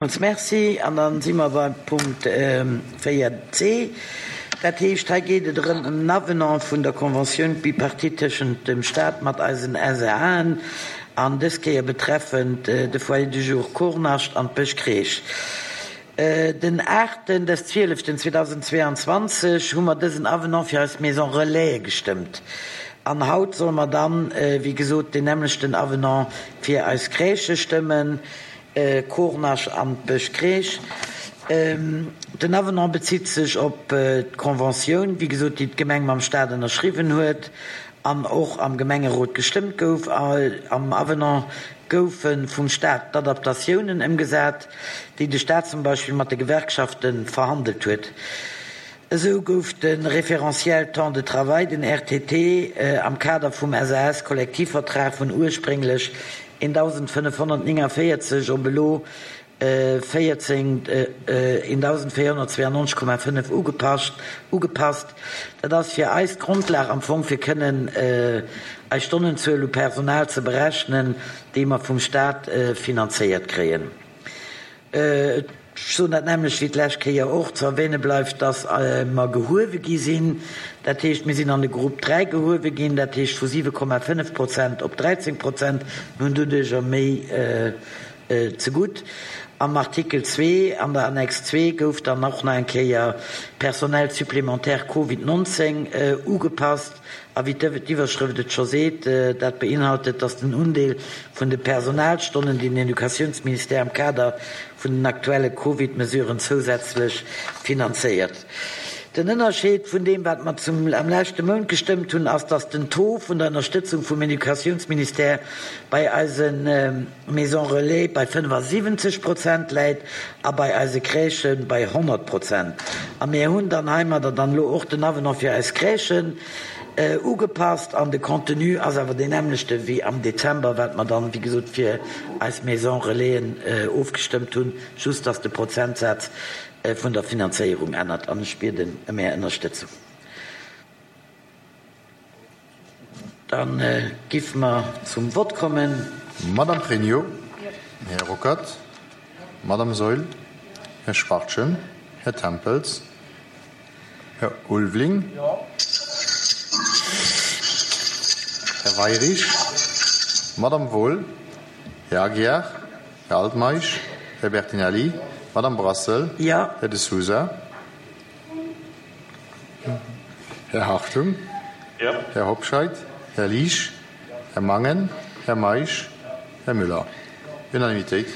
Merci. An da si mer beim Punkt 4c. Dat heescht, hei geet et erëm ëm en Avenant vun der Conventioun bipartite tëschent dem Stat mat eisen SAen, an dës Kéier betreffend de Foyer de jour Kornascht an d'Bëschcrèche. Den aachten des zwieleften 2022 hu mer dësen Avenant fir eis Maison Relaise gestëmmt. An haut solle mer dann, wéi gesot, deen nämmlechten Avenant fir eis Crèchë stëmmen. Kornach an d'Bëschcrèche. Den Avenant bezitt sech op d'Conventioun, wéi gesot, déi d'Gemeng mam Staat ënnerschriwwen huet an och am Gemengerot gestëmmt gouf. Am Avenant goufe vum Staat d'Adaptatiounen ëmgesat, déi de Staat zum Beispill mat de Gewerkschafte verhandelt huet. Esou gouf de Référentiel temps de travail, den RTT, am Kader vum SAS-Kollektivvertrag vun ursprénglech 1.549 op elo 14 1.492,5 ugepasst. Ugepasst. Dat ass fir eis d'Grondlag am Fong fir kënnen eis Stonnenzuel u Personal ze berechnen, déi mer vum Staat finanzéiert kréien. Ech soen dat nämmlecht wéi d'lescht Kéier och. Ze erwähne bleift, dass mer gehuewe gi sinn. Dat heescht, mir sinn an de Grupp 3 gehuewe ginn, dat heescht vu 7,5 Prozent op 13 Prozent. Mir hunn doduercher méi zegutt. Am Artikel zwee an der Annex zwee gouf dann och nach eng Kéier Personnel supplémentaire Covid 19 ugepasst. A wéi d'Iwwerschrëft et scho seet, dat beinhaltet, dass den Undeel vun de Personalstonnen, déi den Educatiounsministère am Kader vun den aktuelle Covid-Mesuren zousätzlech finanzéiert. Den Ënnerscheed vun deem, wat mer zum am leschte Mount gestëmmt hunn, ass, dass den Taux vun der Ënnerstëtzung vum Educatiounsministère bei eise Maisons Relais bei 75 Prozent läit a bei eise Crèchë bei 100 Prozent. A mir hunn dann heimadder dann elo och den Avenant fir eis Crèchen ugepasst an de Contenu ass awer deen nämmlechte wéi am Dezember, wat mer dann, wéi gesot, fir eis Maisons Relaisen ofgestëmmt hunn, just dass de Prozentsaz vun der Finanzéierung ännert. An ech bieden ëm Är Ënnerstëtzung. Da giffe mer zum Vott kommen. Madame Pregno, Här Ruckert, Madame Saeul, Här Schwachtgen, Här Tempels, Här Ulveling, Här Weirich, Madame Wohl, Här Aguiar, Här Altmeisch, Här Bertinelli, Madame Brassel, Här De Sousa. Här Hartung, Här Hobscheit, Här Liesch, Här Mangen, Här Meisch, Här Müller. Unanimitéit.